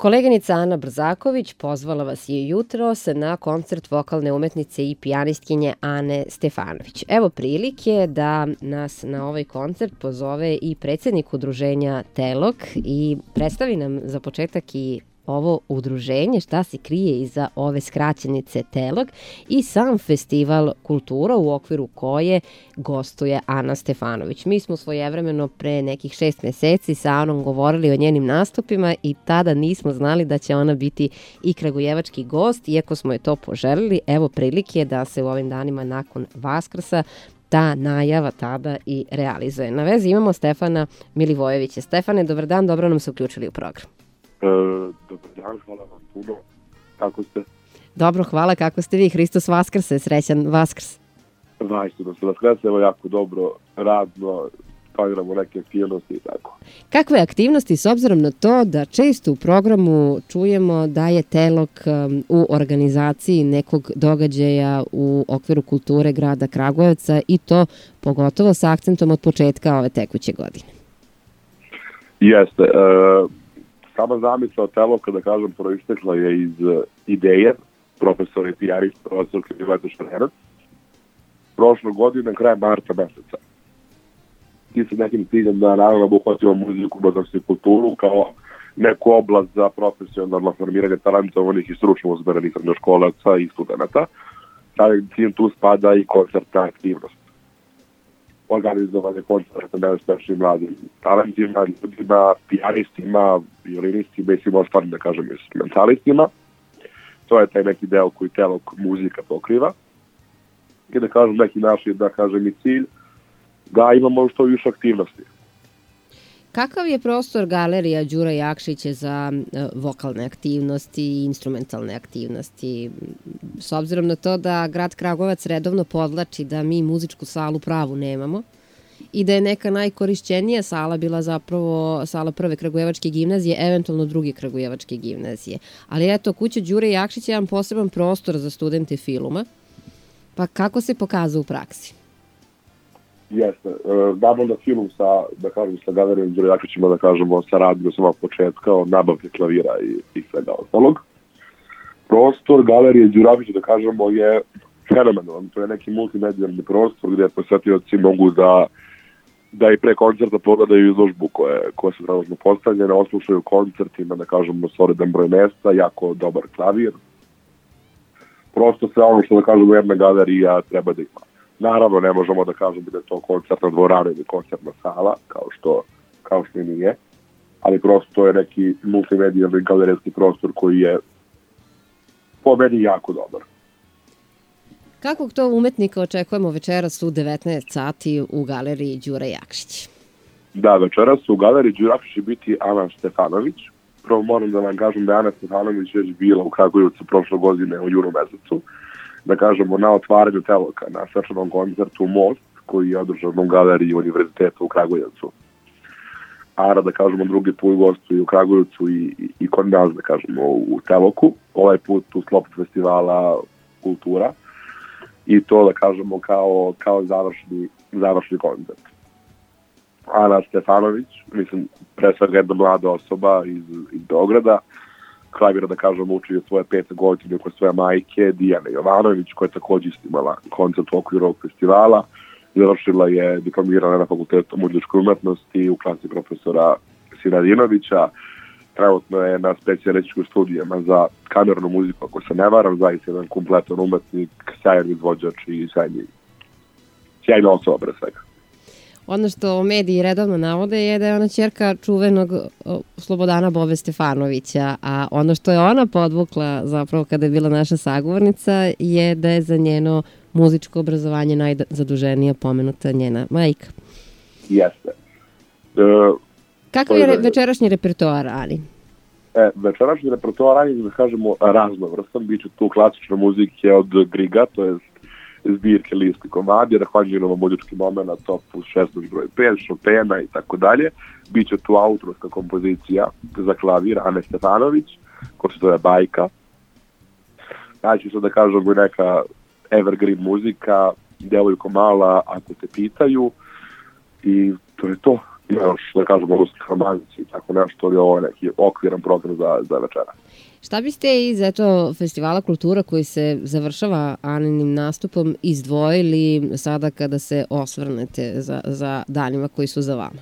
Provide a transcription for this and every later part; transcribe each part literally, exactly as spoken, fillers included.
Koleginica Ana Brzaković pozvala vas je jutros na koncert vokalne umetnice i pijanistkinje Ane Stefanović. Evo prilike da nas na ovaj koncert pozove i predsjednik udruženja Telok i predstavi nam za početak i ovo udruženje, šta se krije iza ove skraćenice Telok i sam festival kultura u okviru koje gostuje Ana Stefanović. Mi smo svojevremeno pre nekih šest meseci sa Anom govorili o njenim nastupima i tada nismo znali da će ona biti i kragujevački gost, iako smo je to poželili. Evo prilike da se u ovim danima nakon Vaskrsa ta najava tada i realizuje. Na vezi imamo Stefana Milivojevića. Stefane, dobar dan, dobro nam se uključili u program. E, dobar dan, hvala vam puno. Kako ste? Dobro, hvala. Kako ste vi? Hristos Vaskrse, srećan Vaskrs. Vajstu da se Vaskrse, evo jako dobro, radno, planiramo neke aktivnosti i tako. Kakve aktivnosti, s obzirom na to da često u programu čujemo da je Telok um, u organizaciji nekog događaja u okviru kulture grada Kragujevca i to pogotovo sa akcentom od početka ove tekuće godine? Jeste. E, sama zamisla Teloka, da kažem, proistekla je iz ideje profesora i pijanista, profesor Mileta Šarenac, prošle godine, krajem marta meseca. I sa nekim ciljem da naravno obuhvatimo muziku, umetnost i kulturu kao neku oblast za profesionalno formiranje talentovanih i stručno usmerenih srednjoškolaca i studenta. Sada ciljem tu spada i koncertna aktivnost. Organizovanje koncerta najuspešnijim mladim talentima, ljudima, pijanistima, violinistima i svim ostalim, da kažem, instrumentalistima. To je taj neki deo koji Telok muzika pokriva. I da kažem, neki naš je, da kažem, i cilj da imamo što više aktivnosti. Kakav je prostor galerija Đura Jakšića za vokalne aktivnosti i instrumentalne aktivnosti? S obzirom na to da grad Kragujevac redovno podlači da mi muzičku salu pravu nemamo i da je neka najkorišćenija sala bila zapravo sala prve kragujevačke gimnazije, eventualno druge kragujevačke gimnazije. Ali eto, kuća Đure Jakšića je jedan poseban prostor za studente filuma. Pa kako se pokazao u praksi? Jeste. Znamo da film sa, da kažem, sa galerijom Đure Jakšićima, da kažemo, saradnju sama početka od nabavke klavira i, i svega ostalog. Prostor galerije Đure Jakšića, da kažemo, je fenomenalan. To je neki multimedijalni prostor gdje posjetioci mogu da da i pre koncerta pogledaju izložbu koje, koje su trenutno postavljene, oslušaju koncertima, da kažemo, solidan broj mesta, jako dobar klavir. Prosto sve ono što, da kažemo, jedna galerija treba da ima. Naravno, ne možemo da kažemo da je to koncertna dvorana ili koncertna sala, kao što, kao što i nije, ali prosto to je neki multimedijalni galerijski prostor koji je po meni jako dobar. Kakvog to umetnika očekujemo večeras u devetnaest sati u galeriji Đure Jakšić? Da, večeras u galeriji Đure Jakšić će biti Ana Stefanović. Prvo moram da vam kažem da je Ana Stefanović već bila u Kragujevcu prošle godine u junu mesecu. Da kažemo, na otvaranju Teloka, na svečanom koncertu Most, koji je održan u galeriji Univerziteta u Kragujevcu. Ana, da kažemo, drugi put gostuje u Kragujevcu i, i, i kod nas, da kažemo, u Teloku. Ovaj put u sklopu festivala Kultura. I to, da kažemo, kao, kao završni, završni koncert. Ana Stefanović, mislim, pre svega jedna mlada osoba iz, iz Beograda, klavira, da kažem, uči od svoje pete godine kod svoje majke, Dijane Jovanović, koja je također istimala koncert u okviru ovog festivala. Završila je diplomirana na Fakultetu muzičke umetnosti u klasi profesora Sinadinovića. Trenutno je na specijalističkim studijama za kamernu muziku, ako se ne varam, zaista jedan kompletan umetnik, sjajan izvođač i sjajni, sjajna osoba pre svega. Ono što mediji redovno navode je da je ona ćerka čuvenog Slobodana Bobe Stefanovića, a ono što je ona podvukla zapravo kada je bila naša sagovornica je da je za njeno muzičko obrazovanje najzaduženija pomenuta njena majka. Jeste. E, Kakav je večerašnji repertoar, Ani? E, večerašnji repertoar, Ani, da kažemo, raznovrstan. Biće tu klasične muzike od Griga, to je zbirke listi komadi, Rahvanđinova muzički momena, top šesnaest broj pet, Chopina i tako dalje. Biće tu autorska kompozicija za klavir Ane Stefanović, koja se zove Bajka. Znači se da kažemo neka evergreen muzika, Devojko mala, ako te pitaju, i to je to. ima još, da kažemo, ruski romanci i tako nešto, ali ovo je neki okviran program za, za večera. Šta biste iz eto, Festivala kultura koji se završava Aninim nastupom izdvojili sada kada se osvrnete za, za danima koji su za vama?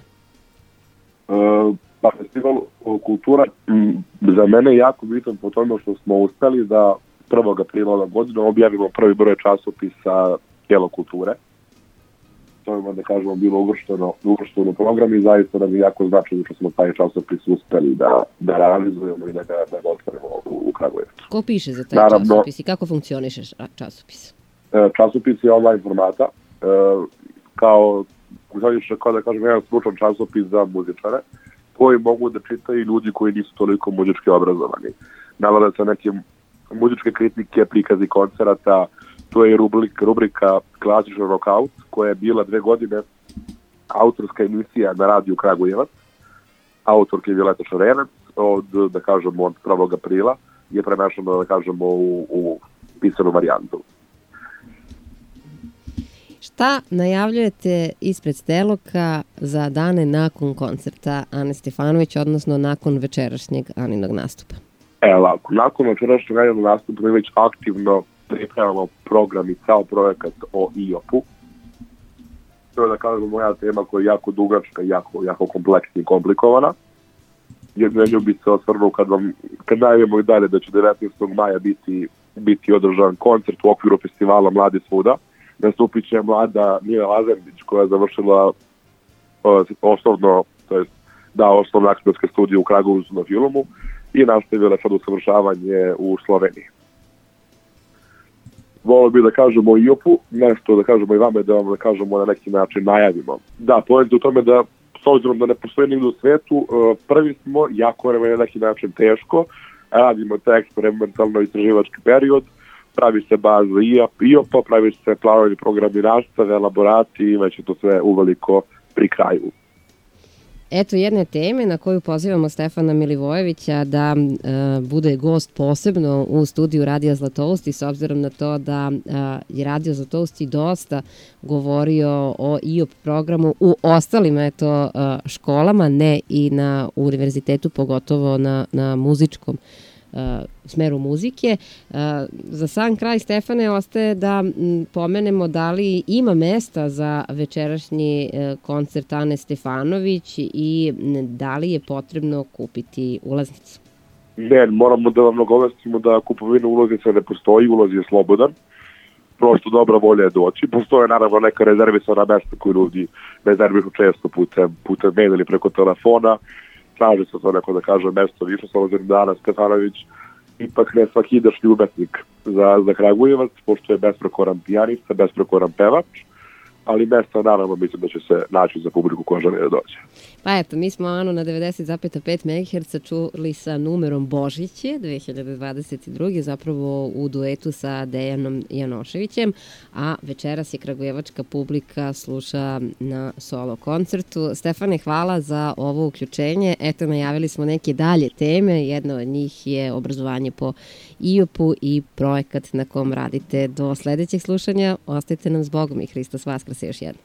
E, pa Festival kultura m, za mene je jako bitan po tome što smo uspeli da prvog aprila ove godine objavimo prvi broj časopisa Tijelo kulture. To je, da kažemo, bilo uvršteno, uvršteno u program i zaista nam je jako značajno što smo taj časopis uspeli da, da realizujemo i da ga, da ga otvorimo u, u Kragujevcu. Ko piše za taj Naravno, časopis i kako funkcioniše časopis? Časopis je online formata, kao, kao da kažem, jedan stručan časopis za muzičare, koji mogu da čitaju ljudi koji nisu toliko muzički obrazovani. Navode se neke muzičke kritike, prikazi koncerata. To je rubrika, rubrika Klasičan rock-out, koja je bila dve godine autorska emisija na radiju Kragujevac. Autorka je Violeta Šarenac, od, da kažemo, od prvog aprila je premešano, da kažemo, u, u pisanu varijantu. Šta najavljujete ispred Steloka za dane nakon koncerta Ane Stefanović, odnosno nakon večerašnjeg Aninog nastupa? Evo, lako. Nakon večerašnjeg Aninog nastupa mi već aktivno pripremamo program i cao projekat o I O P-u. To je, da kažemo, moja tema koja je jako dugačka, jako, jako kompleksna i komplikovana. Jedno nju bi se osvrnuo kad, vam, kad najavimo i dalje da će devetnaestog maja biti, biti održan koncert u okviru festivala Mladi svuda. Nastupit će mlada Mila Lazerbić koja je završila uh, osnovno, to jest da, osnovno aktorske studije u Kragujevcu na filmu i nastavila sad usavršavanje u Sloveniji. Volio bih da kažemo o I O P-u, nešto da kažemo i vama, da vam da kažemo na neki način najavimo. Da, poenta u tome da, s obzirom da ne postoji nigde u svetu, prvi smo, jako nam je na neki način teško, radimo taj eksperimentalno istraživački period, pravi se baza I O P-a, pravi se planovi programi nastave, elaborati i već je to sve uveliko pri kraju. Eto jedne teme na koju pozivamo Stefana Milivojevića da e, bude gost posebno u studiju Radija Zlatousti, s obzirom na to da e, je Radio Zlatousti dosta govorio o I O P programu u ostalim eto, e, školama, ne i na univerzitetu, pogotovo na, na muzičkom Uh, smeru muzike. Uh, za sam kraj, Stefane, ostaje da m, pomenemo da li ima mesta za večerašnji uh, koncert Ane Stefanović i m, da li je potrebno kupiti ulaznicu? Ne, moramo da vam nagovestimo da kupovina ulaznica ne postoji, ulaz je slobodan. Prosto dobra volja je doći. Postoje naravno neka rezervisana mesta koju ljudi rezervišu često putem, putem maila ili preko telefona. Traži se to neko da kaže mesto više, s obzirom da Ana Stefanović ipak ne svakidašnji umetnik za, za Kragujevac, pošto je besprekoran pijanista, besprekoran pevač, ali mesta naravno mislim da će se naći za publiku koja želi da dođe. Pa eto, mi smo Anu na devedeset zarez pet megaherca čuli sa numerom Božiće dve hiljade dvadeset druge zapravo u duetu sa Dejanom Janoševićem, a večeras je kragujevačka publika sluša na solo koncertu. Stefane, hvala za ovo uključenje. Eto, najavili smo neke dalje teme. Jedna od njih je obrazovanje po I O P-u i projekat na kom radite. Do sledećeg slušanja. Ostajte nam s Bogom i Hristos Vaskrse još jednom.